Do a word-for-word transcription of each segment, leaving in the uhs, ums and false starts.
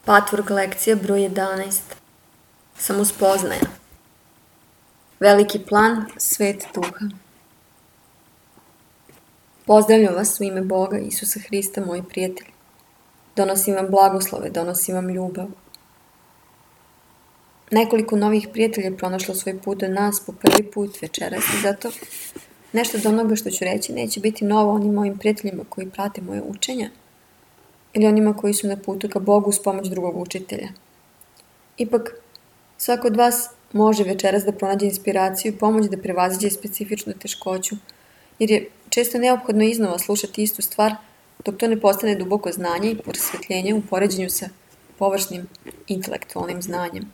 Patvork lekcija broj jedanaest. Samospoznaja. Veliki plan, svet duha. Pozdravljam vas u ime Boga, Isusa Hrista, moji prijatelji. Donosim vam blagoslove, donosim vam ljubav. Nekoliko novih prijatelja je pronašlo svoj put do nas po prvi put večeras i zato nešto od onoga što ću reći neće biti novo onim mojim prijateljima koji prate moje učenja ili onima koji su na putu ka Bogu uz pomoć drugog učitelja. Ipak, svako od vas može večeras da pronađe inspiraciju i pomoć da prevaziđe specifičnu teškoću, jer je često neophodno iznova slušati istu stvar dok to ne postane duboko znanje i prosvetljenje u poređenju sa površnim intelektualnim znanjem.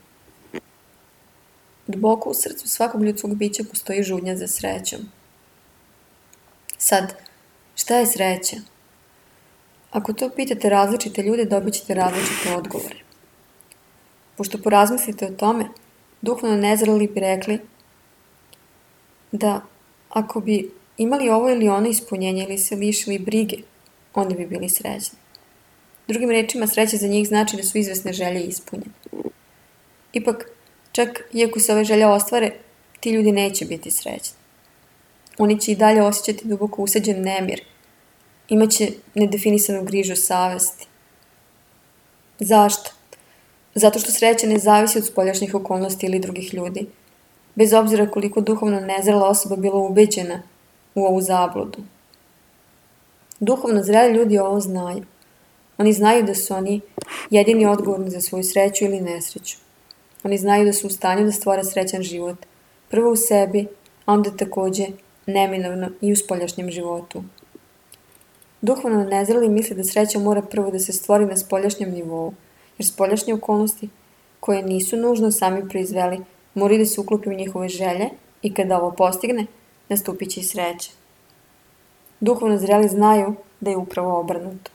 Duboko u srcu svakog ljudskog bića postoji žudnja za srećom. Sad, šta je sreća? Ako to pitate različite ljude, dobit ćete različite odgovore. Pošto porazmislite o tome, duhovno nezreli bi rekli da ako bi imali ovo ili ono ispunjenje ili se lišili brige, oni bi bili srećni. Drugim rečima, sreća za njih znači da su izvesne želje ispunjene. Ipak, čak iako se ove želje ostvare, ti ljudi neće biti srećni. Oni će i dalje osjećati duboko usađen nemir, imaće nedefinisanu grižu savesti. Zašto? Zato što sreća ne zavisi od spoljašnjih okolnosti ili drugih ljudi, bez obzira koliko duhovno nezrela osoba bila ubeđena u ovu zabludu. Duhovno zreli ljudi ovo znaju. Oni znaju da su oni jedini odgovorni za svoju sreću ili nesreću. Oni znaju da su u stanju da stvore srećan život, prvo u sebi, a onda takođe neminovno i u spoljašnjem životu. Duhovno nezreli misle da sreća mora prvo da se stvori na spoljašnjem nivou, jer spoljašnje okolnosti, koje nisu nužno sami proizveli, moraju da se uklope u njihove želje i kada ovo postigne, nastupit će i sreća. Duhovno zreli znaju da je upravo obrnuto.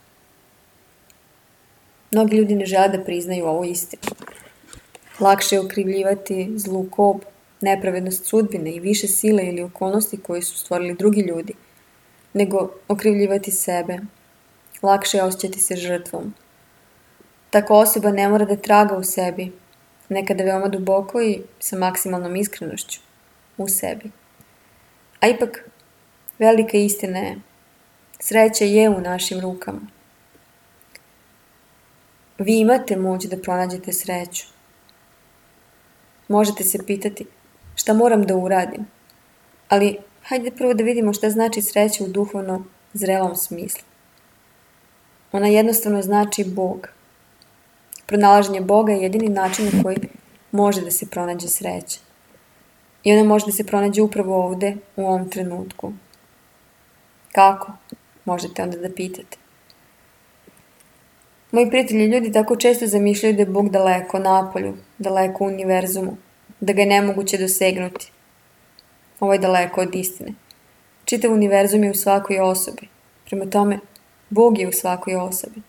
Mnogi ljudi ne žele da priznaju ovu istinu. Lakše je okrivljivati zlu kob, nepravednost sudbine i više sile ili okolnosti koje su stvorili drugi ljudi, nego okrivljivati sebe. Lakše je osjećati se žrtvom. Tako osoba ne mora da traga u sebi, nekada veoma duboko i sa maksimalnom iskrenošću u sebi. A ipak, velika istina je, sreća je u našim rukama. Vi imate moć da pronađete sreću. Možete se pitati šta moram da uradim, ali hajde prvo da vidimo šta znači sreća u duhovno zrelom smislu. Ona jednostavno znači Bog. Pronalaženje Boga je jedini način na koji može da se pronađe sreća. I ona može da se pronađe upravo ovde, u ovom trenutku. Kako? Možete onda da pitate. Moji prijatelji ljudi tako često zamišljaju da je Bog daleko napolju, daleko u univerzumu, da ga je nemoguće dosegnuti. Ovo je daleko od istine. Čitav univerzum je u svakoj osobi. Prema tome, Bog je u svakoj osobi.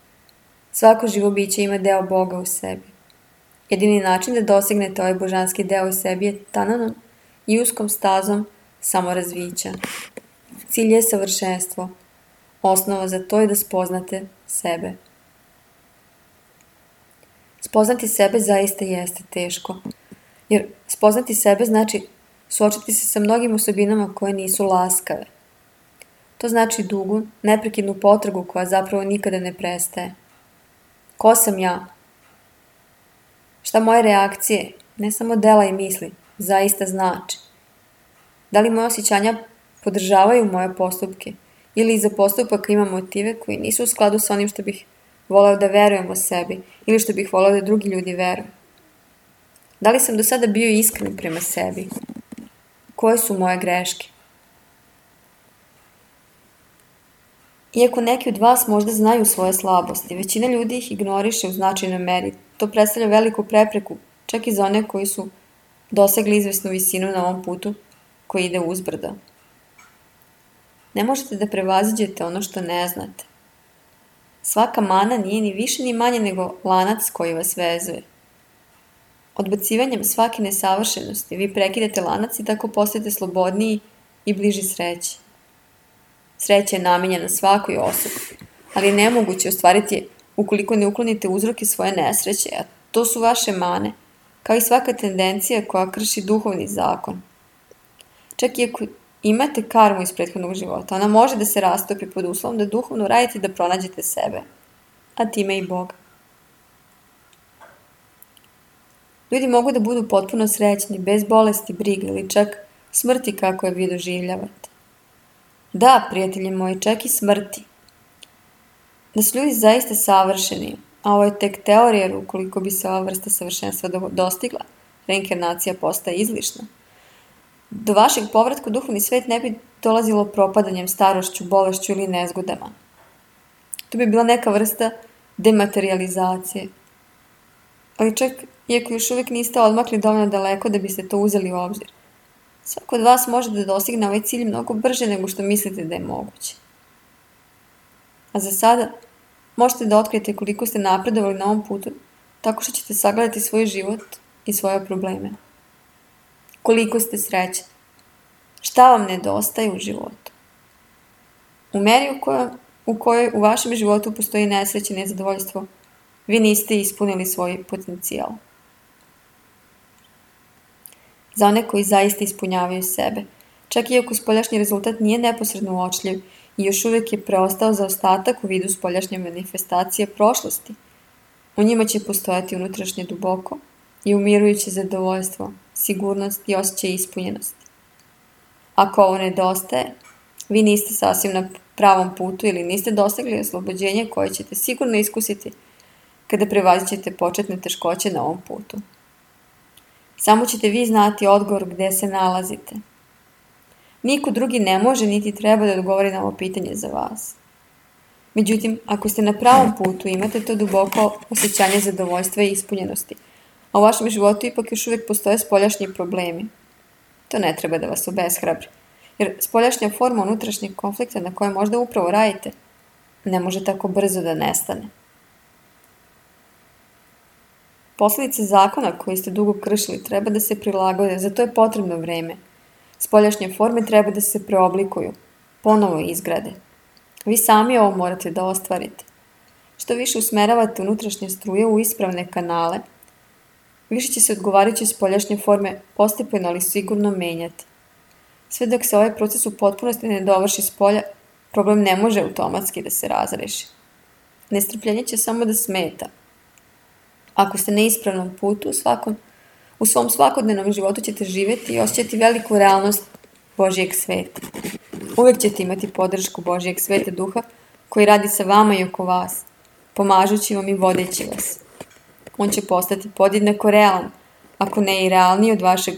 Svako živo biće ima deo Boga u sebi. Jedini način da dosegnete ovaj božanski deo u sebi je tananom i uskom stazom samorazvića. Cilj je savršenstvo. Osnova za to je da spoznate sebe. Spoznati sebe zaista jeste teško, jer spoznati sebe znači suočiti se sa mnogim osobinama koje nisu laskave. To znači dugu, neprekidnu potragu koja zapravo nikada ne prestaje. Ko sam ja? Šta moje reakcije, ne samo dela i misli, zaista znači? Da li moje osjećanja podržavaju moje postupke ili iza postupaka imam motive koji nisu u skladu sa onim što bih voleo da verujem o sebi ili što bih voleo da drugi ljudi veruju? Da li sam do sada bio iskren prema sebi? Koje su moje greške? Iako neki od vas možda znaju svoje slabosti, većina ljudi ih ignoriše u značajnoj meri. To predstavlja veliku prepreku, čak i za one koji su dosegli izvesnu visinu na ovom putu koji ide uzbrdo. Ne možete da prevaziđete ono što ne znate. Svaka mana nije ni više ni manje nego lanac koji vas vezuje. Odbacivanjem svake nesavršenosti vi prekidate lanac i tako postajete slobodniji i bliži sreći. Sreća je namenjena svakoj osobi, ali je nemoguće ostvariti je ukoliko ne uklonite uzroke svoje nesreće, a to su vaše mane, kao i svaka tendencija koja krši duhovni zakon. Čak i ako imate karmu iz prethodnog života, ona može da se rastopi pod uslovom da duhovno radite da pronađete sebe, a time i Boga. Ljudi mogu da budu potpuno srećni, bez bolesti, brige ili čak smrti kako je vi doživljavate. Da, prijatelji moji, čak i smrti. Da su ljudi zaista savršeni, a ovo je tek teorija, jer ukoliko bi se ova vrsta savršenstva dostigla, reinkarnacija postaje izlišna. Do vašeg povratka u duhovni svet ne bi dolazilo propadanjem, starošću, bolešću ili nezgodama. To bi bila neka vrsta dematerializacije. Ali čak, iako još uvijek niste odmakli dovoljno daleko da biste to uzeli u obzir, svako od vas može da dostigne ovaj cilj mnogo brže nego što mislite da je moguće. A za sada možete da otkrijete koliko ste napredovali na ovom putu tako što ćete sagledati svoj život i svoje probleme. Koliko ste srećni. Šta vam nedostaje u životu? U meri u kojoj, u kojoj u vašem životu postoji nesreće i nezadovoljstvo, vi niste ispunili svoj potencijal. Za one koji zaista ispunjavaju sebe, čak i ako spoljašnji rezultat nije neposredno uočljiv i još uvijek je preostao zaostatak u vidu spoljašnje manifestacije prošlosti, u njima će postojati unutrašnje duboko i umirujuće zadovoljstvo, sigurnost i osjećaj ispunjenosti. Ako ovo nedostaje, vi niste sasvim na pravom putu ili niste dosegli oslobođenje koje ćete sigurno iskusiti kada prevazićete početne teškoće na ovom putu. Samo ćete vi znati odgovor gde se nalazite. Niko drugi ne može niti treba da odgovori na ovo pitanje za vas. Međutim, ako ste na pravom putu, imate to duboko osjećanje zadovoljstva i ispunjenosti, a u vašem životu ipak još uvijek postoje spoljašnji problemi. To ne treba da vas obeshrabri, jer spoljašnja forma unutrašnjeg konflikta na kojem možda upravo radite ne može tako brzo da nestane. Posledice zakona koji ste dugo kršili treba da se prilagode, za to je potrebno vreme. Spoljašnje forme treba da se preoblikuju, ponovo izgrade. Vi sami ovo morate da ostvarite. Što više usmeravate unutrašnje struje u ispravne kanale, više će se odgovarajuće spoljašnje forme postepeno ali sigurno menjati. Sve dok se ovaj proces u potpunosti ne dovrši s polja, problem ne može automatski da se razreši. Nestrpljenje će samo da smeta. Ako ste na ispravnom putu, u, svakom, u svom svakodnevnom životu ćete živjeti i osjećati veliku realnost Božijeg sveta. Uvijek ćete imati podršku Božijeg sveta duha koji radi sa vama i oko vas, pomažući vam i vodeći vas. On će postati podjednako realan, ako ne i realniji od vašeg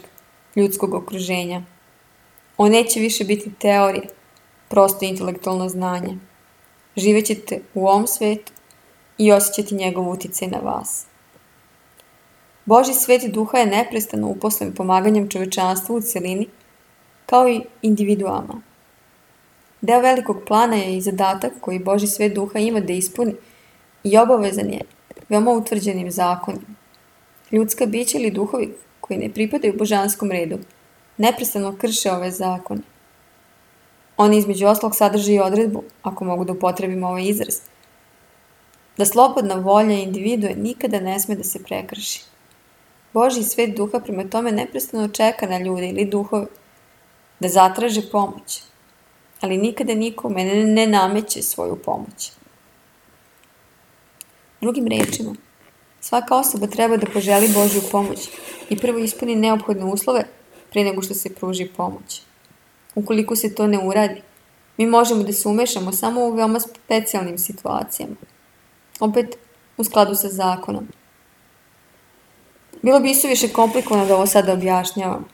ljudskog okruženja. On neće više biti teorije, prosto intelektualno znanje. Živećete u ovom svetu i osjećati njegov uticaj na vas. Božji svet duha je neprestano uposlen pomaganjem čovečanstvu u celini, kao i individuama. Deo velikog plana je i zadatak koji Božji svet duha ima da ispuni i obavezan je veoma utvrđenim zakonima. Ljudska bića ili duhovi koji ne pripadaju božanskom redu neprestano krše ove zakone. Oni između ostalog sadrže i odredbu, ako mogu da upotrebim ovaj izraz, da slobodna volja individue nikada ne sme da se prekrši. Božji svet duha prema tome neprestano čeka na ljude ili duhove da zatraže pomoć, ali nikada nikome ne, ne nameće svoju pomoć. Drugim rečima, svaka osoba treba da poželi Božju pomoć i prvo ispuni neophodne uslove pre nego što se pruži pomoć. Ukoliko se to ne uradi, mi možemo da se umešamo samo u veoma specijalnim situacijama. Opet, u skladu sa zakonom. Bilo bi isuviše komplikovano da ovo sada objašnjavam,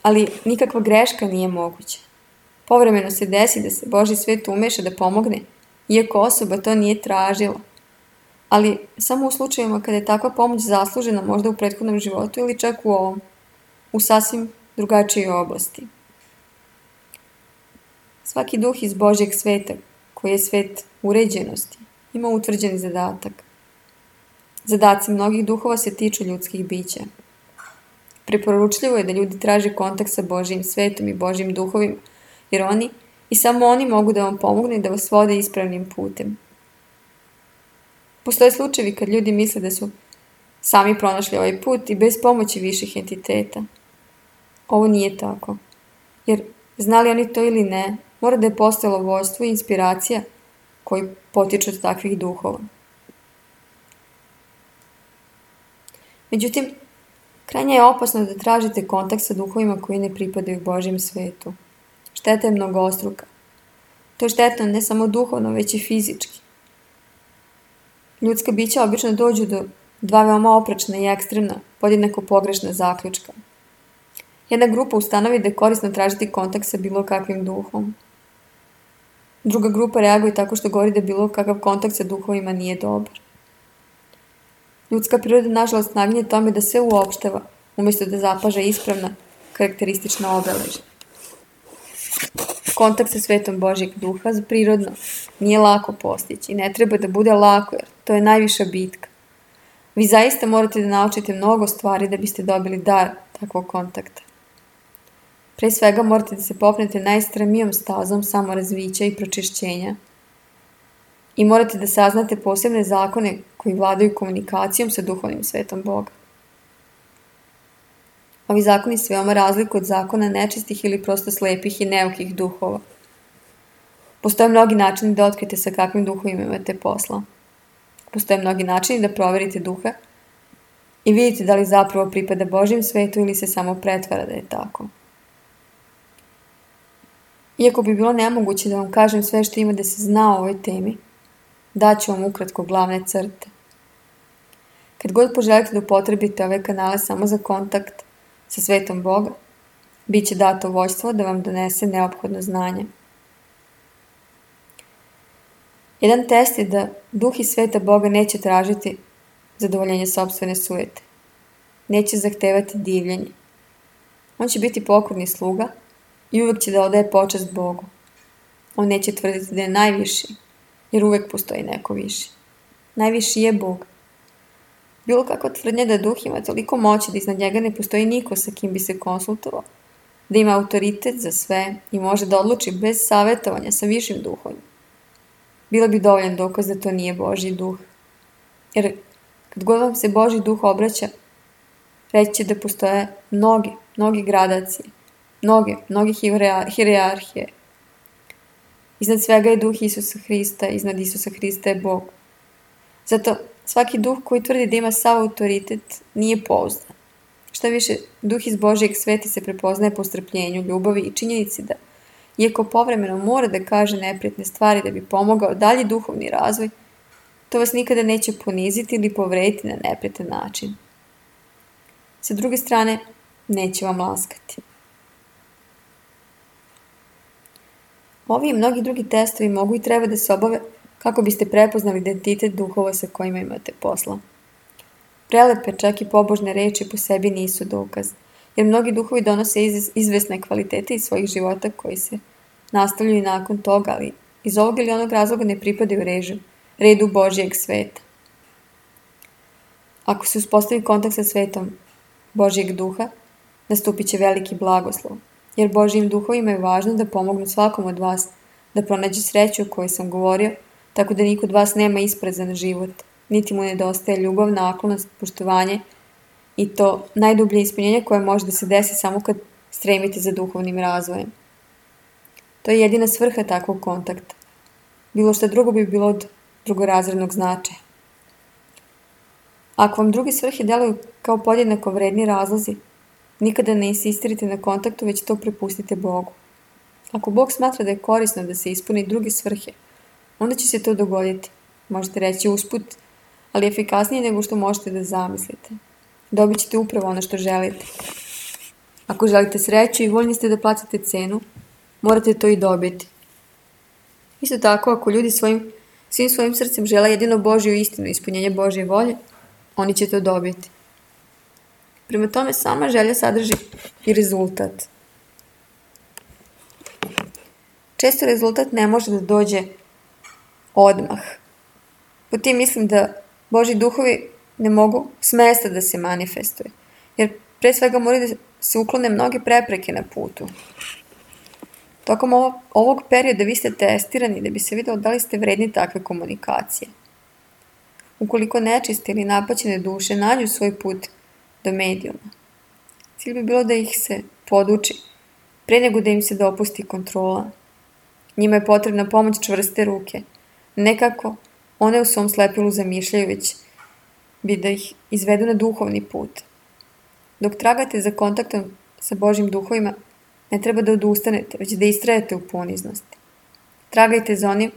ali nikakva greška nije moguća. Povremeno se desi da se Božji svet umeša da pomogne, iako osoba to nije tražila, ali samo u slučajevima kada je takva pomoć zaslužena možda u prethodnom životu ili čak u ovom, u sasvim drugačijoj oblasti. Svaki duh iz Božjeg sveta, koji je svet uređenosti, ima utvrđeni zadatak. Zadaci mnogih duhova se tiču ljudskih bića. Preporučljivo je da ljudi traže kontakt sa Božjim svetom i Božjim duhovima, jer oni i samo oni mogu da vam pomognu i da vas vode ispravnim putem. Postoje slučajevi kad ljudi misle da su sami pronašli ovaj put i bez pomoći viših entiteta. Ovo nije tako. Jer, znali oni to ili ne, mora da je postojalo vođstvo i inspiracija koji potiču od takvih duhova. Međutim, krajnje je opasno da tražite kontakt sa duhovima koji ne pripadaju Božjem svetu. Šteta je mnogostruka. To je štetno ne samo duhovno, već i fizički. Ljudska bića obično dođu do dva veoma oprečna i ekstremna, podjednako pogrešna zaključka. Jedna grupa ustanovi da je korisno tražiti kontakt sa bilo kakvim duhom. Druga grupa reaguje tako što govori da bilo kakav kontakt sa duhovima nije dobar. Ljudska priroda nažalost naginje tome da se uopštava, umjesto da zapaže ispravna, karakteristična obeležja. Kontakt sa svetom Božjeg duha prirodno nije lako postići i ne treba da bude lako jer to je najviša bitka. Vi zaista morate da naučite mnogo stvari da biste dobili dar takvog kontakta. Pre svega morate da se popnete najstremijom stazom samorazvića i pročišćenja i morate da saznate posebne zakone koji vladaju komunikacijom sa duhovnim svetom Boga. Ovi zakoni se veoma razlikuju od zakona nečistih ili prosto slepih i neukih duhova. Postoje mnogi načini da otkrijete sa kakvim duhovima imate posla. Postoje mnogi načini da proverite duha i vidite da li zapravo pripada Božjem svetu ili se samo pretvara da je tako. Iako bi bilo nemoguće da vam kažem sve što ima da se zna o ovoj temi, daću vam ukratko glavne crte. Kad god poželite da upotrebite ove kanale samo za kontakt sa svetom Boga, bit će dato vođstvo da vam donese neophodno znanje. Jedan test je da duh iz sveta Boga neće tražiti zadovoljenje sopstvene sujete. Neće zahtevati divljenje. On će biti pokorni sluga i uvek će da odaje počast Bogu. On neće tvrditi da je najviši, jer uvek postoji neko viši. Najviši je Bog. Bilo kakva tvrdnja da duh ima toliko moći da iznad njega ne postoji niko sa kim bi se konsultovao, da ima autoritet za sve i može da odluči bez savjetovanja sa višim duhovima. Bilo bi dovoljan dokaz da to nije Božji duh. Jer kad god vam se Božji duh obraća, reći će da postoje mnogi, mnogi gradacije, mnoge, mnoge hijerarhije. Iznad svega je duh Isusa Hrista, iznad Isusa Hrista je Bog. Zato svaki duh koji tvrdi da ima sav autoritet nije pouzdan. Šta više, duh iz Božjeg sveta se prepoznaje po strpljenju, ljubavi i činjenici da, iako povremeno mora da kaže neprijatne stvari da bi pomogao dalji duhovni razvoj, to vas nikada neće poniziti ili povrediti na neprijatan način. Sa druge strane, neće vam laskati. Ovi i mnogi drugi testovi mogu i treba da se obave kako biste prepoznali identitet duhova sa kojima imate posla. Prelepe, čak i pobožne reči po sebi nisu dokaz, jer mnogi duhovi donose iz, izvesne kvalitete iz svojih života koji se nastavljaju nakon toga, ali iz ovog ili onog razloga ne pripadaju režu, redu Božjeg sveta. Ako se uspostavi kontakt sa svetom Božjeg duha, nastupit će veliki blagoslov, jer Božjim duhovima je važno da pomognu svakom od vas da pronađe sreću o kojoj sam govorio, tako da niko od vas nema isprezan život, niti mu nedostaje ljubav, naklonost, poštovanje i to najdublje ispunjenje koje može da se desi samo kad stremite za duhovnim razvojem. To je jedina svrha takvog kontakta. Bilo što drugo bi bilo od drugorazrednog značaja. Ako vam druge svrhe deluju kao podjednako vredni razlozi, nikada ne insistirite na kontaktu, već to prepustite Bogu. Ako Bog smatra da je korisno da se ispuni druge svrhe, onda će se to dogoditi. Možete reći usput, ali efikasnije nego što možete da zamislite. Dobit ćete upravo ono što želite. Ako želite sreću i voljni ste da platite cenu, morate to i dobiti. Isto tako, ako ljudi svojim, svim svojim srcem žele jedino Božju istinu i ispunjenje Božje volje, oni će to dobiti. Prema tome, sama želja sadrži i rezultat. Često rezultat ne može da dođe odmah. Po tim mislim da Božji duhovi ne mogu s mesta da se manifestuje, jer pre svega moraju da se uklone mnoge prepreke na putu. Tokom ovo, ovog perioda vi ste testirani da bi se vidjelo da li ste vredni takve komunikacije. ukoliko nečiste ili napaćene duše nađu svoj put do medijuma. Cilj bi bilo da ih se poduči, pre nego da im se dopusti kontrola. Njima je potrebna pomoć čvrste ruke, nekako one u svom slepilu zamišljaju, već bi da ih izvedu na duhovni put. Dok tragate za kontaktom sa Božjim duhovima, ne treba da odustanete, već da istrajete u poniznosti. Tragajte za onim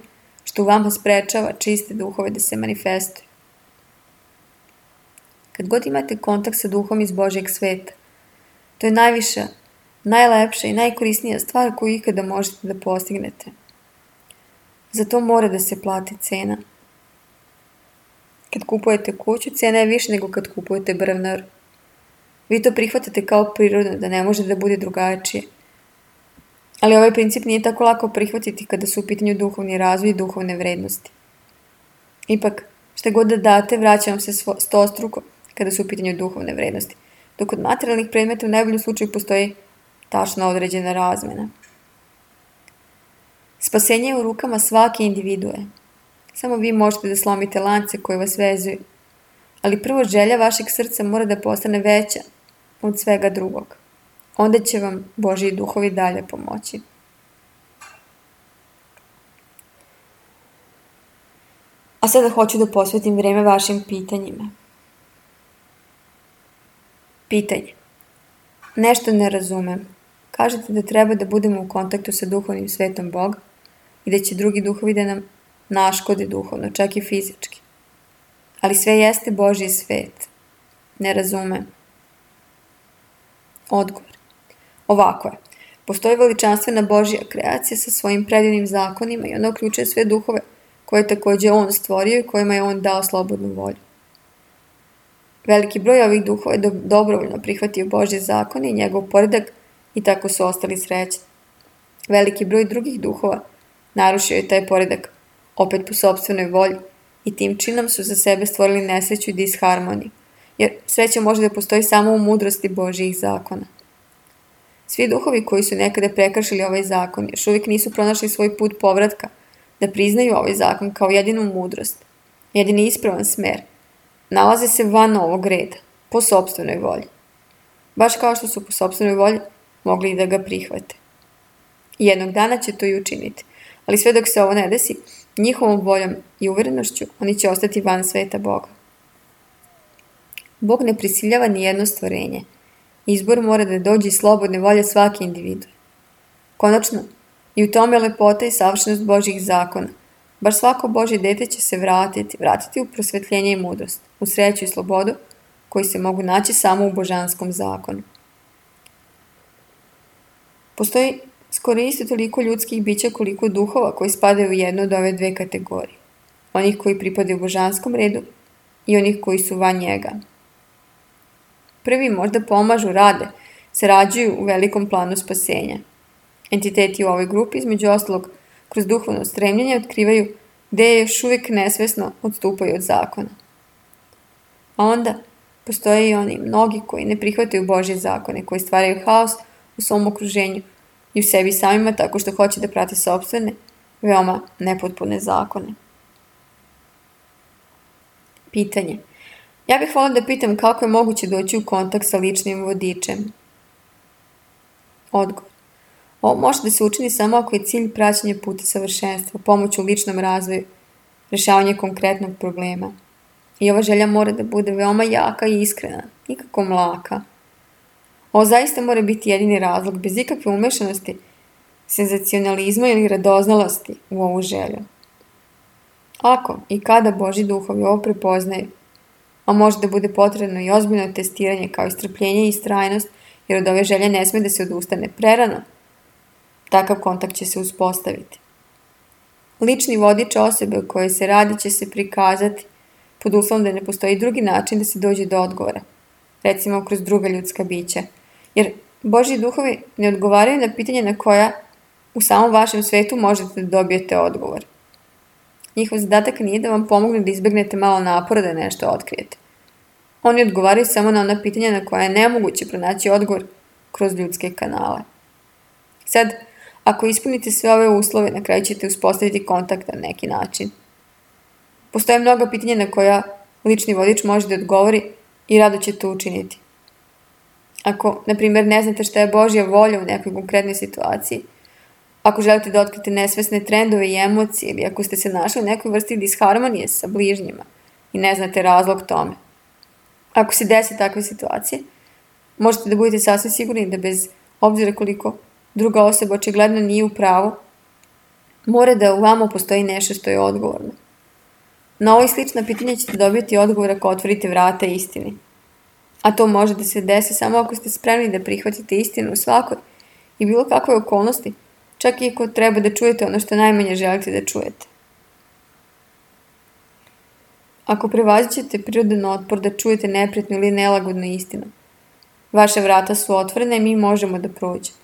što u vama sprečava čiste duhove da se manifestuju. Kad god imate kontakt sa duhom iz Božjeg sveta, to je najviša, najlepša i najkorisnija stvar koju ikada možete da postignete. Za to mora da se plati cena. Kad kupujete kuću, cena je više nego kad kupujete brvnar. Vi to prihvatate kao prirodno, da ne može da bude drugačije. Ali ovaj princip nije tako lako prihvatiti kada su u pitanju duhovni razvoj i duhovne vrednosti. Ipak, šta god da date, vraća vam se stostruko kada su u pitanju duhovne vrednosti, dok kod materijalnih predmeta u najboljem slučaju postoji tačno određena razmena. Spasenje je u rukama svake individue. Samo vi možete da slomite lance koje vas vezuju, ali prvo želja vašeg srca mora da postane veća od svega drugog. Onda će vam Božji duhovi dalje pomoći. A sada hoću da posvetim vreme vašim pitanjima. Pitanje. Nešto ne razumem. Kažete da treba da budemo u kontaktu sa duhovnim svetom Boga i da će drugi duhovi da nam naškode duhovno, čak i fizički. Ali sve jeste Božji svet. Ne razumem. Odgovor. Ovako je. Postoji veličanstvena Božja kreacija sa svojim predivnim zakonima i ona uključuje sve duhove koje je također On stvorio i kojima je On dao slobodnu volju. Veliki broj ovih duhova je dobrovoljno prihvatio Božje zakone i njegov poredak i tako su ostali srećni. Veliki broj drugih duhova narušio je taj poredak, opet po sopstvenoj volji, i tim činom su za sebe stvorili nesreću i disharmoniju, jer sreća može da postoji samo u mudrosti Božjih zakona. Svi duhovi koji su nekada prekršili ovaj zakon još uvijek nisu pronašli svoj put povratka, da priznaju ovaj zakon kao jedinu mudrost, jedini ispravan smer. Nalaze se van ovog reda, po sopstvenoj volji. Baš kao što su po sopstvenoj volji mogli i da ga prihvate. Jednog dana će to i učiniti, ali sve dok se ovo ne desi, njihovom voljom i uverenošću oni će ostati van sveta Boga. Bog ne prisiljava ni jedno stvorenje. Izbor mora da dođe iz slobodne volje svake individue. Konačno, i u tome lepota i savršenost Božjih zakona. Baš svako Božje dete će se vratiti, vratiti u prosvetljenje i mudrost, u sreću i slobodu, koji se mogu naći samo u božanskom zakonu. Postoji skoro isto toliko ljudskih bića koliko duhova koji spadaju u jednu od ove dve kategorije. Onih koji pripadaju božanskom redu i onih koji su van njega. Prvi možda pomažu, rade, sarađuju u velikom planu spasenja. Entiteti u ovoj grupi, između ostalog, kroz duhovno stremljenje otkrivaju gde još uvijek nesvesno odstupaju od zakona. A onda postoje i oni mnogi koji ne prihvataju Božje zakone, koji stvaraju haos u svom okruženju i u sebi samima tako što hoće da prate sopstvene, veoma nepotpune zakone. Pitanje. Ja bih voljela da pitam kako je moguće doći u kontakt sa ličnim vodičem. Odgovor. Ovo može da se učini samo ako je cilj praćenje puta savršenstva, pomoć u ličnom razvoju, rešavanje konkretnog problema. I ova želja mora da bude veoma jaka i iskrena, nikako mlaka. Ovo zaista mora biti jedini razlog, bez ikakve umešanosti, senzacionalizma ili radoznalosti u ovu želju. Ako i kada Božji duhovi ovo prepoznaju, a može da bude potrebno i ozbiljno testiranje kao i strpljenje i istrajnost, jer od ove želje ne sme da se odustane prerano, takav kontakt će se uspostaviti. Lični vodič osobe o kojoj se radi će se prikazati pod uslovom da ne postoji drugi način da se dođe do odgovora, recimo kroz druga ljudska bića, jer Božji duhovi ne odgovaraju na pitanje na koja u samom vašem svetu možete da dobijete odgovor. Njihov zadatak nije da vam pomognu da izbegnete malo napora da nešto otkrijete. Oni odgovaraju samo na ona pitanja na koja je nemoguće pronaći odgovor kroz ljudske kanale. Sad, ako ispunite sve ove uslove, na kraju ćete uspostaviti kontakt na neki način. Postoje mnoga pitanja na koja lični vodič može da odgovori i rado će to učiniti. Ako, na primjer, ne znate šta je Božja volja u nekoj konkretnoj situaciji, ako želite da otkrite nesvesne trendove i emocije ili ako ste se našli u nekoj vrsti disharmonije sa bližnjima i ne znate razlog tome. Ako se desi takve situacije, možete da budete sasvim sigurni da bez obzira koliko druga osoba očigledno nije u pravu, mora da u vama postoji nešto što je odgovorno. Na ovo i slična pitanja ćete dobiti odgovor ako otvorite vrata istini. A to može da se desi samo ako ste spremni da prihvatite istinu u svakoj i bilo kakvoj okolnosti, čak i ako treba da čujete ono što najmanje želite da čujete. Ako prevazićete prirodan otpor da čujete neprijatnu ili nelagodnu istinu, vaše vrata su otvorene i mi možemo da prođemo.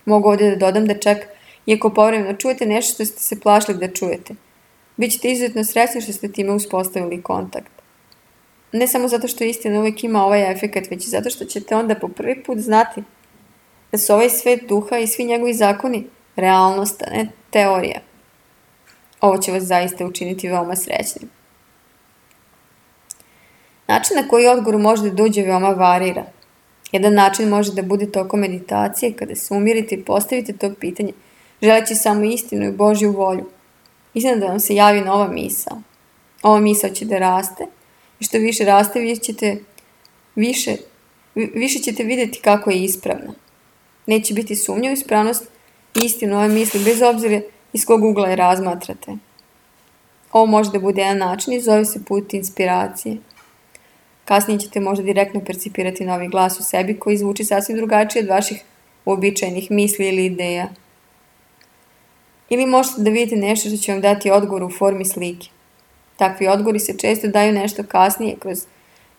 Mogu ovdje da dodam da čak i ako povremeno čujete nešto što ste se plašili da čujete, bit ćete izuzetno srećni što ste time uspostavili kontakt. Ne samo zato što istina uvijek ima ovaj efekat, već i zato što ćete onda po prvi put znati da su ovaj svet duha i svi njegovi zakoni realnost, a ne teorija. Ovo će vas zaista učiniti veoma srećnim. Način na koji odgovor može da dođe veoma varira. Jedan način može da bude tokom meditacije, kada se umirite i postavite to pitanje, želeći samo istinu i Božju volju. Iznenada vam se javi nova misao. Ova misao će da raste i što više raste, vi ćete, više, više ćete vidjeti kako je ispravna. Neće biti sumnja u ispravnost i istinu ove misli, bez obzira iz kog ugla je razmatrate. Ovo može da bude jedan način i zove se put inspiracije. Kasnije ćete možda direktno percipirati novi glas u sebi koji zvuči sasvim drugačije od vaših uobičajenih misli ili ideja. Ili možete da vidite nešto što će vam dati odgovor u formi slike. Takvi odgovori se često daju nešto kasnije kroz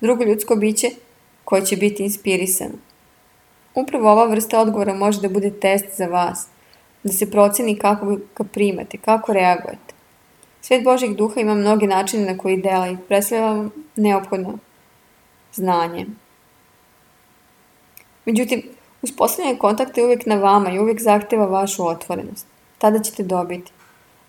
drugo ljudsko biće koje će biti inspirisano. Upravo ova vrsta odgovora može da bude test za vas, da se proceni kako ga primate, kako reagujete. Svet Božjeg duha ima mnoge načine na koji dela i predstavlja vam neophodno znanje. Međutim, uspostavljanje kontakta je uvijek na vama i uvijek zahteva vašu otvorenost. Tada ćete dobiti.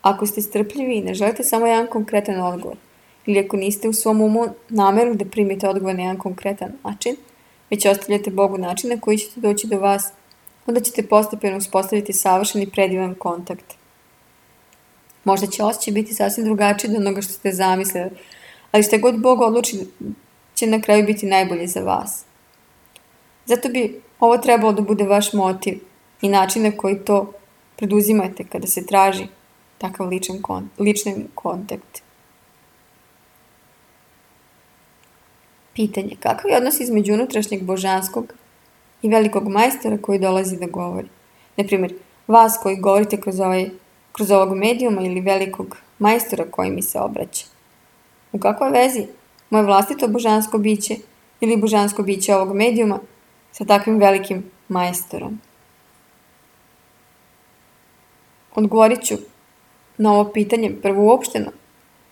Ako ste strpljivi i ne želite samo jedan konkretan odgovor, ili ako niste u svom umu nameru da primite odgovor na jedan konkretan način, već ostavljate Bogu način na koji ćete doći do vas, onda ćete postepeno uspostaviti savršen i predivan kontakt. Možda će osjećaj biti sasvim drugačiji od onoga što ste zamislili, ali što god Bog odluči će na kraju biti najbolje za vas. Zato bi ovo trebalo da bude vaš motiv i način na koji to preduzimate kada se traži takav ličan kon, lični kontakt. Pitanje. Kakav je odnos između unutrašnjeg božanskog i velikog majstora koji dolazi da govori? Naprimjer, vas koji govorite kroz, ovaj, kroz ovog medijuma ili velikog majstora koji mi se obraća. U kakvoj vezi moje vlastito božansko biće ili božansko biće ovog medijuma sa takvim velikim majstorom? Odgovorit ću na ovo pitanje prvo uopšteno.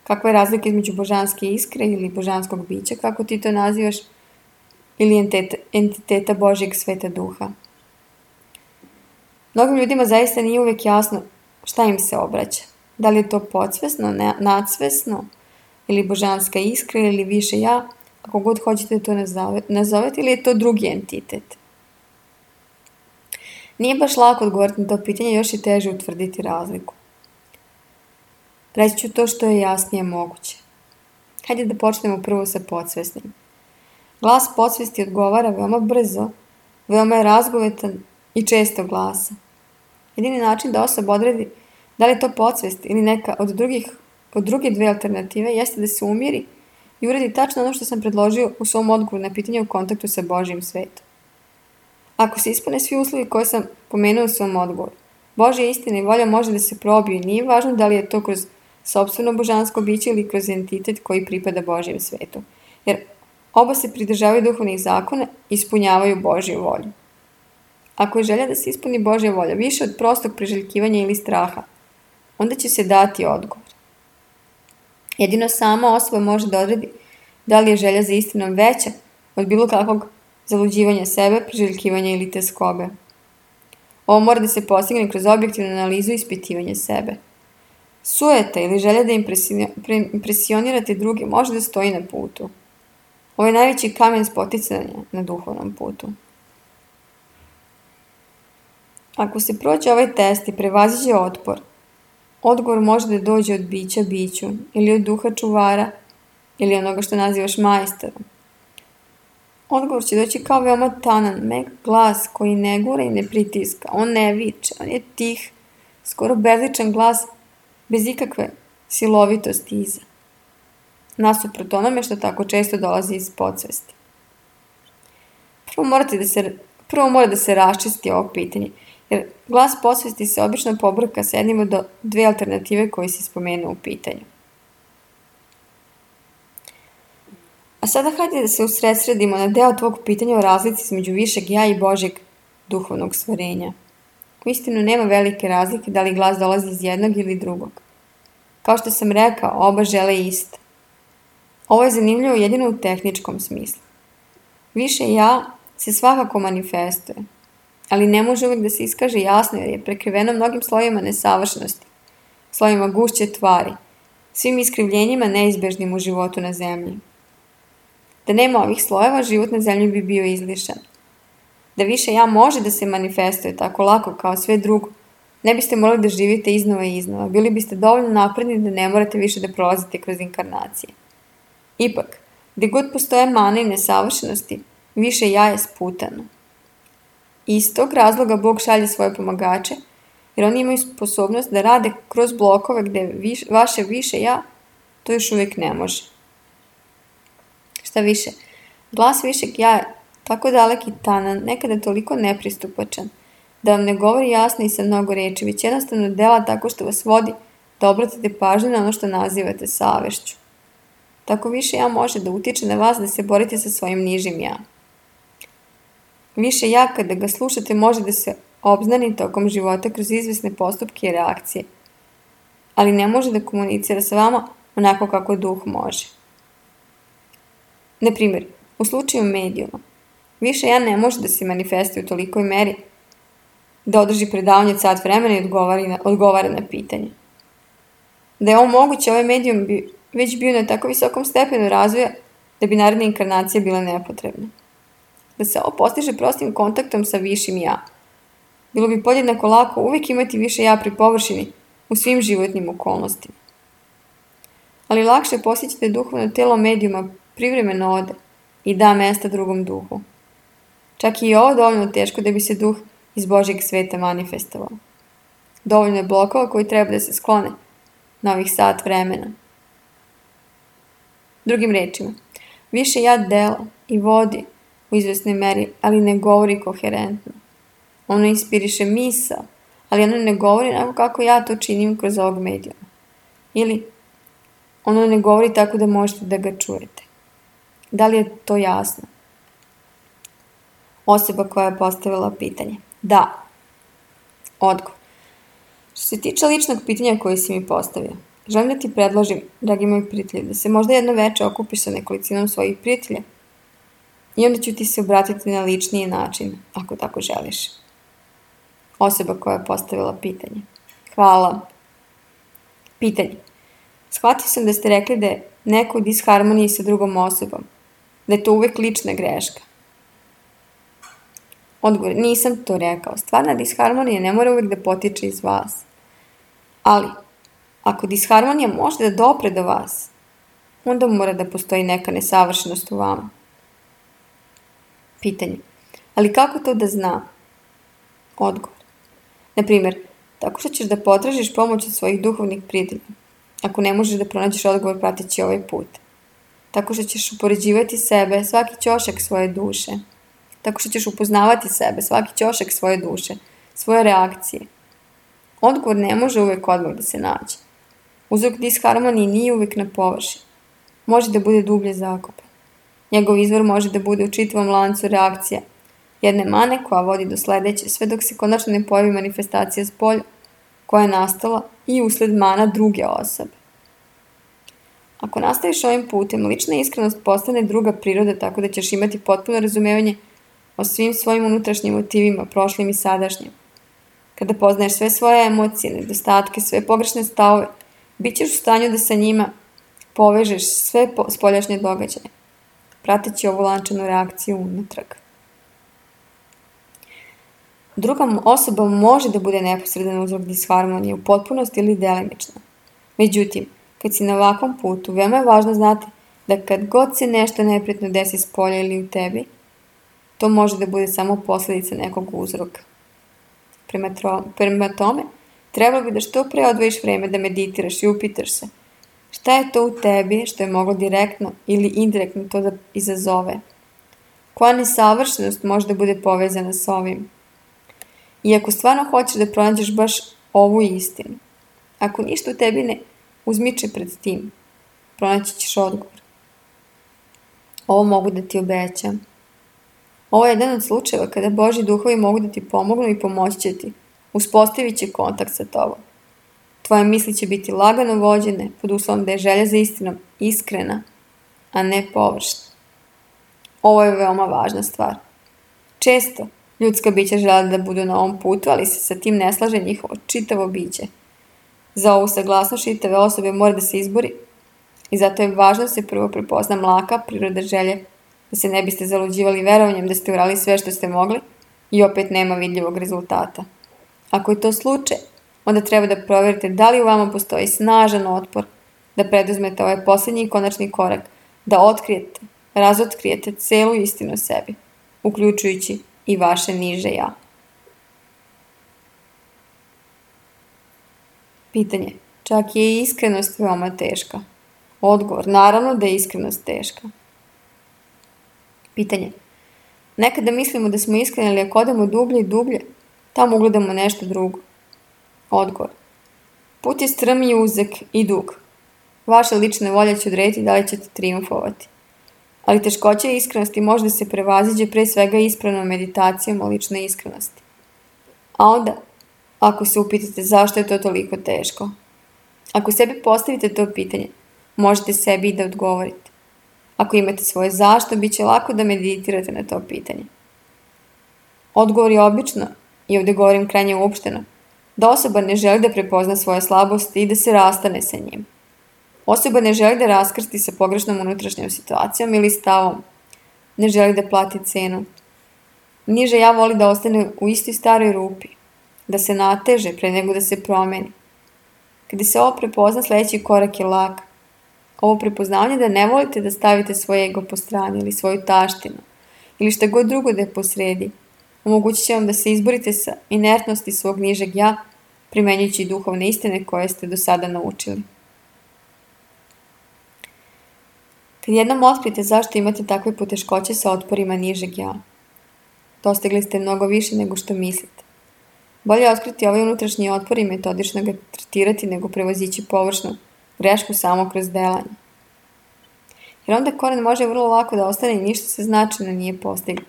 Kakva je razlika između božanske iskre ili božanskog bića, kako ti to nazivaš, ili entiteta, entiteta Božjeg sveta duha? Mnogim ljudima zaista nije uvijek jasno šta im se obraća. Da li je to podsvesno, nadsvesno, ili božanska iskra, ili više ja, ako god hoćete to nazovete, ili je to drugi entitet. Nije baš lako odgovoriti na to pitanje, još je teže utvrditi razliku. Reći ću to što je jasnije moguće. Hajde da počnemo prvo sa podsvesnim. Glas podsvesti odgovara veoma brzo, veoma je razgovetan i često glasa. Jedini način da osoba odredi da li je to podsvest ili neka od, drugih, od druge dve alternative jeste da se umiri i uradi tačno ono što sam predložio u svom odgovoru na pitanje u kontaktu sa Božjim svetom. Ako se ispune svi uslovi koje sam pomenuo u svom odgovoru, Božja istina i volja može da se probiju i nije važno da li je to kroz sopstveno božansko biće ili kroz entitet koji pripada Božjem svetu, jer oba se pridržavaju duhovnih zakona i ispunjavaju Božju volju. Ako je želja da se ispuni Božja volja više od prostog priželjkivanja ili straha, onda će se dati odgovor. Jedino sama osoba može da odredi da li je želja za istinom veća od bilo kakvog zaluđivanja sebe, priželjkivanja ili teskobe. Ovo mora da se postigne kroz objektivnu analizu i ispitivanje sebe. Sujeta ili želja da impresionirate druge može da stoji na putu. Ovo je najveći kamen spoticanja na duhovnom putu. Ako se prođe ovaj test i prevaziđe otpor, odgovor može da dođe od bića biću ili od duha čuvara ili onoga što nazivaš majstorom. Odgovor će doći kao veoma tanan, mek glas koji ne gura i ne pritiska. On ne viče, on je tih, skoro bezličan glas bez ikakve silovitosti iza. Nasuprot onome što tako često dolazi iz podsvesti. Prvo, morate da se, prvo mora da se raščisti ovo pitanje, jer glas podsvesti se obično pobrka sa jednim od dve alternative koje si spomenuo u pitanju. A sada hajde da se usredsredimo na deo tvog pitanja o razlici između višeg ja i Božjeg duhovnog stvorenja. Uistinu nema velike razlike da li glas dolazi iz jednog ili drugog. Kao što sam rekao, oba žele isto. Ovo je zanimljivo jedino u tehničkom smislu. Više ja se svakako manifestuje, ali ne može uvijek da se iskaže jasno jer je prekriveno mnogim slojima nesavršenosti, slojima gušće tvari, svim iskrivljenjima neizbežnim u životu na zemlji. Da nema ovih slojeva, život na zemlji bi bio izlišan. Da više ja može da se manifestuje tako lako kao sve drugo, ne biste morali da živite iznova i iznova, bili biste dovoljno napredni da ne morate više da prolazite kroz inkarnacije. Ipak, gde god postoje mane i nesavršenosti, više ja je sputano. I iz tog razloga Bog šalje svoje pomagače, jer oni imaju sposobnost da rade kroz blokove gde viš, vaše više ja to još uvijek ne može. Šta više, glas višeg ja je tako dalek i tanan, nekada toliko nepristupačan, da vam ne govori jasno i sa mnogo reči, već jednostavno dela tako što vas vodi da obratite pažnju na ono što nazivate savešću. Tako više ja može da utiče na vas da se borite sa svojim nižim ja. Više ja kada ga slušate može da se obznani tokom života kroz izvesne postupke i reakcije, ali ne može da komunicira sa vama onako kako duh može. Na primjer, u slučaju medijuma, više ja ne može da se manifestuje u tolikoj meri da održi predavanje od sat vremena i odgovara na, odgovara na pitanje. Da je ovo moguće, ovaj medijum bi već bio na tako visokom stepenu razvoja da bi naredna inkarnacija bila nepotrebna. Da se ovo postiže prostim kontaktom sa višim ja. Bilo bi podjednako lako uvijek imati više ja pri površini u svim životnim okolnostima. Ali lakše posjećate duhovno telo medijuma privremeno ode i da mesta drugom duhu. Čak i ovo dovoljno teško da bi se duh iz Božjeg sveta manifestovao. Dovoljno je blokova koji treba da se sklone na ovih sat vremena. Drugim rečima, više ja dela i vodi u izvesnoj meri, ali ne govori koherentno. Ono inspiriše misao, ali ono ne govori onako kako ja to činim kroz ovog medijuma. Ili ono ne govori tako da možete da ga čujete. Da li je to jasno? Osoba koja je postavila pitanje. Da. Odgovor. Što se tiče ličnog pitanja koje si mi postavio, želim da ti predložim, dragi moji prijatelji, da se možda jedno veče okupiš sa nekolicinom svojih prijatelja i onda ću ti se obratiti na ličniji način, ako tako želiš. Osoba koja je postavila pitanje. Hvala. Pitanje. Shvatio sam da ste rekli da je neko u disharmoniji sa drugom osobom, da je to uvek lična greška. Odgovor, nisam to rekao. Stvarna disharmonija ne mora uvek da potiče iz vas. Ali, ako disharmonija može da dopre do vas, onda mora da postoji neka nesavršenost u vama. Pitanje, ali kako to da zna? Odgovor, naprimjer, tako što ćeš da potražiš pomoć od svojih duhovnih prijatelja, ako ne možeš da pronađeš odgovor prateći ovaj put. Tako što ćeš upoređivati sebe, svaki ćošak svoje duše. Tako što ćeš upoznavati sebe, svaki ćošak svoje duše, svoje reakcije. Odgovor ne može uvek odmah da se nađe. Uzrok disharmonije nije uvek na površini. Može da bude dublje zakopan. Njegov izvor može da bude u čitavom lancu reakcija jedne mane koja vodi do sledeće, sve dok se konačno ne pojavi manifestacija spolja koja je nastala i usled mana druge osobe. Ako nastaviš ovim putem, lična iskrenost postane druga priroda tako da ćeš imati potpuno razumevanje o svim svojim unutrašnjim motivima, prošlim i sadašnjim. Kada poznaješ sve svoje emocije, nedostatke, sve pogrešne stavove Bićeš u stanju da sa njima povežeš sve spoljašnje događaje, prateći ovu lančanu reakciju unatrag. Druga osoba može da bude neposredan uzrok disharmonije u potpunosti ili delimično. Međutim, kad si na ovakvom putu, veoma je važno znati da kad god se nešto neprijatno desi s polja ili u tebi, to može da bude samo posljedica nekog uzroka. Prema, tro, prema tome, trebalo bi da što pre odvojiš vreme da meditiraš i upitaš se šta je to u tebi što je moglo direktno ili indirektno to da izazove. Koja nesavršenost može da bude povezana s ovim. I ako stvarno hoćeš da pronađeš baš ovu istinu, ako ništa u tebi ne uzmiče pred tim, pronaći ćeš odgovor. Ovo mogu da ti obećam. Ovo je jedan od slučajeva kada Božji duhovi mogu da ti pomognu i pomoći će ti. Uspostavit će kontakt sa tobom. Tvoje misli će biti lagano vođene pod uslovom da je želja za istinom iskrena, a ne površna. Ovo je veoma važna stvar. Često ljudska bića žele da budu na ovom putu, ali se sa tim ne slaže njihovo čitavo biće. Za ovu saglasnost čitave osobe mora da se izbori i zato je važno da se prvo prepozna mlaka priroda želje, da se ne biste zaluđivali verovanjem da ste uradili sve što ste mogli i opet nema vidljivog rezultata. Ako je to slučaj, onda treba da provjerite da li u vama postoji snažan otpor da preduzmete ovaj posljednji i konačni korak, da otkrijete, razotkrijete celu istinu o sebi, uključujući i vaše niže ja. Pitanje. Čak je i iskrenost veoma teška. Odgovor. Naravno da je iskrenost teška. Pitanje. Nekada mislimo da smo iskreni, ali ako odemo dublje i dublje, tamo ugledamo nešto drugo. Odgovor. Put je strm i uzak i dug. Vaša lična volja će odrediti da li ćete triumfovati. Ali teškoća iskrenosti može da se prevaziđe pre svega ispravnom meditacijom o ličnoj iskrenosti. A onda, ako se upitate zašto je to toliko teško, ako sebi postavite to pitanje, možete sebi i da odgovorite. Ako imate svoje zašto, bit će lako da meditirate na to pitanje. Odgovor je obično, i ovdje govorim krajnje uopšteno, da osoba ne želi da prepozna svoje slabosti i da se rastane sa njim. Osoba ne želi da raskrsti sa pogrešnom unutrašnjom situacijom ili stavom. Ne želi da plati cenu. Niže ja voli da ostane u istoj staroj rupi, da se nateže pre nego da se promeni. Kada se ovo prepozna, sljedeći korak je lak. Ovo prepoznavanje da ne volite da stavite svoje ego po strani ili svoju taštinu ili šta god drugo da je posredi, omogućit će vam da se izborite sa inertnosti svog nižeg ja, primenjujući duhovne istine koje ste do sada naučili. Kad jednom otkrijete zašto imate takve poteškoće sa otporima nižeg ja, dostigli ste mnogo više nego što mislite. Bolje je otkriti ovaj unutrašnji otpor i metodično ga tretirati nego prevozići površnu grešku samo kroz delanje. Jer onda koren može vrlo lako da ostane i ništa se značajno nije postiglo.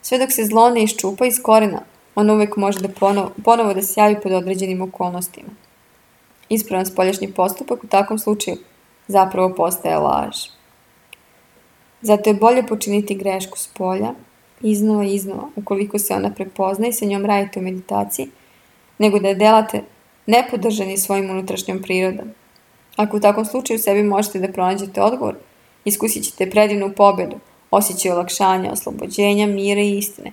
Sve dok se zlo ne iščupa iz korena, on uvijek može da ponovo, ponovo da se javi pod određenim okolnostima. Ispravan spoljašnji postupak u takvom slučaju zapravo postaje laž. Zato je bolje počiniti grešku s polja, iznova i iznova, ukoliko se ona prepozna i sa njom radite u meditaciji, nego da je delate nepodržani svojim unutrašnjom prirodom. Ako u takvom slučaju sebi možete da pronađete odgovor, iskusit ćete predivnu pobedu, osjećaj olakšanja, oslobođenja, mira i istine.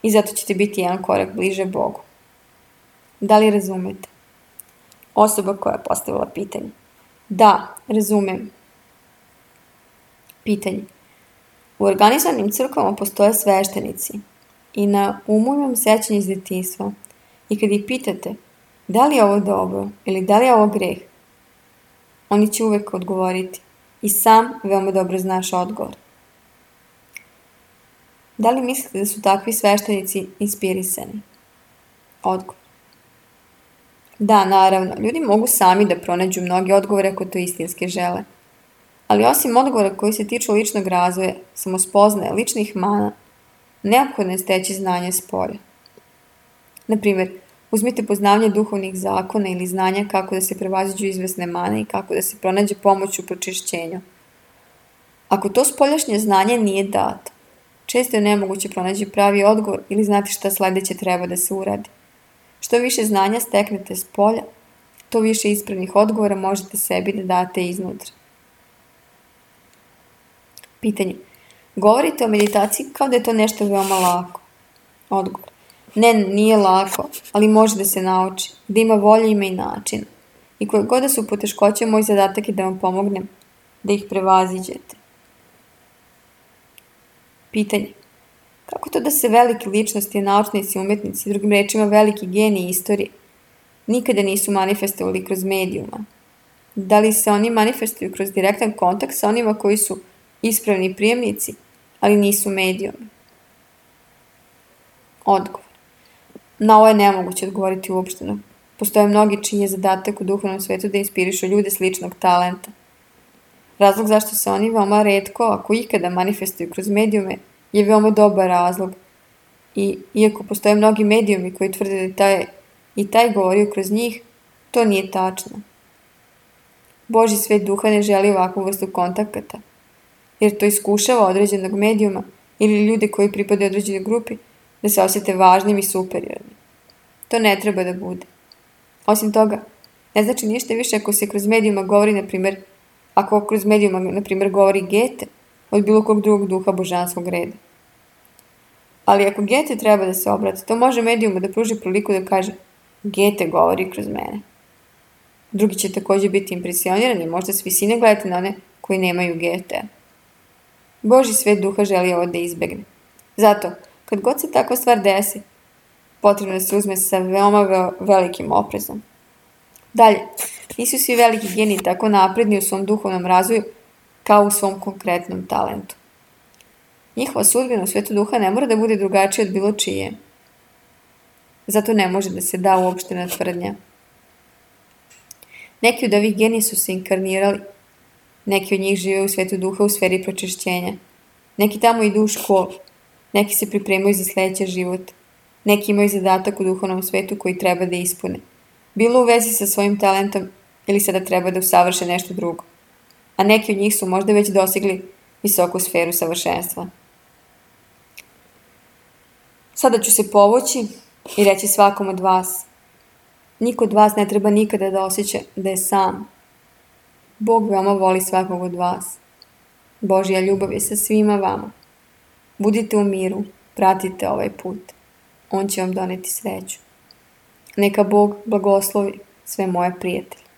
I zato ćete biti jedan korak bliže Bogu. Da li razumete? Osoba koja je postavila pitanje. Da, razumem. Pitanje. U organizovanim crkvama postoje sveštenici i na umu imam sećanje iz djetinjstva. I kad ih pitate da li je ovo dobro ili da li je ovo greh, oni će uvijek odgovoriti i sam veoma dobro znaš odgovor. Da li mislite da su takvi sveštenici inspirisani? Odgovor. Da, naravno, ljudi mogu sami da pronađu mnoge odgovore ako to istinski žele. Ali osim odgovora koji se tiču ličnog razvoja, samospoznaje, ličnih mana, neophodno je steći znanje s polja. Naprimjer, uzmite poznavanje duhovnih zakona ili znanja kako da se prevaziđu izvesne mane i kako da se pronađe pomoć u pročišćenju. Ako to spoljašnje znanje nije dato, često je nemoguće pronaći pravi odgovor ili znati šta sljedeće treba da se uradi. Što više znanja steknete s polja, to više ispravnih odgovora možete sebi da date iznutra. Pitanje. Govorite o meditaciji kao da je to nešto veoma lako. Odgovor. Ne, nije lako, ali može da se nauči, da ima volje, ima i načina. I koje god da su poteškoće, moj zadatak je da vam pomognem, da ih prevaziđete. Pitanje. Kako to da se velike ličnosti, naučnici, umetnici, drugim rečima veliki geniji istorije, nikada nisu manifestovali kroz medijuma? Da li se oni manifestuju kroz direktan kontakt sa onima koji su ispravni prijemnici, ali nisu medijumi? Odgovor. Na ovo je nemoguće odgovoriti uopšteno. Postoje mnogi čiji je zadatak u duhovnom svetu da inspirišu ljude sličnog talenta. Razlog zašto se oni veoma retko, ako ikada manifestuju kroz medijume, je veoma dobar razlog. I iako postoje mnogi medijumi koji tvrde da taj, i taj govorio kroz njih, to nije tačno. Božji svet duha ne želi ovakvu vrstu kontakata, jer to iskušava određenog medijuma ili ljude koji pripadaju određenoj grupi da se osjete važnim i superiornim. To ne treba da bude. Osim toga, ne znači ništa više ako se kroz medijuma govori, na primjer, ako kroz medijuma, na primjer, govori Gete od bilo kog drugog duha božanskog reda. Ali ako Gete treba da se obrati, to može medijumu da pruži priliku da kaže Gete govori kroz mene. Drugi će također biti impresionirani, možda s visine gledate na one koji nemaju Getea. Božji svet duha želi ovo da izbegne. Zato, kad god se takva stvar desi, potrebno da se uzme sa veoma ve- velikim oprezom. Dalje, nisu svi veliki geniji tako napredni u svom duhovnom razvoju kao u svom konkretnom talentu. Njihova sudbina u svetu duha ne mora da bude drugačija od bilo čije. Zato ne može da se da uopštena tvrdnja. Neki od ovih genija su se inkarnirali. Neki od njih žive u svetu duha u sferi pročišćenja. Neki tamo idu u školu. Neki se pripremaju za sljedeći život. Neki imaju zadatak u duhovnom svetu koji treba da ispune. Bilo u vezi sa svojim talentom ili sada treba da usavrše nešto drugo. A neki od njih su možda već dosegli visoku sferu savršenstva. Sada ću se povući i reći svakom od vas. Niko od vas ne treba nikada da osjeća da je sam. Bog veoma voli svakog od vas. Božja ljubav je sa svima vama. Budite u miru, pratite ovaj put. On će vam doneti sreću. Neka Bog blagoslovi sve moje prijatelje.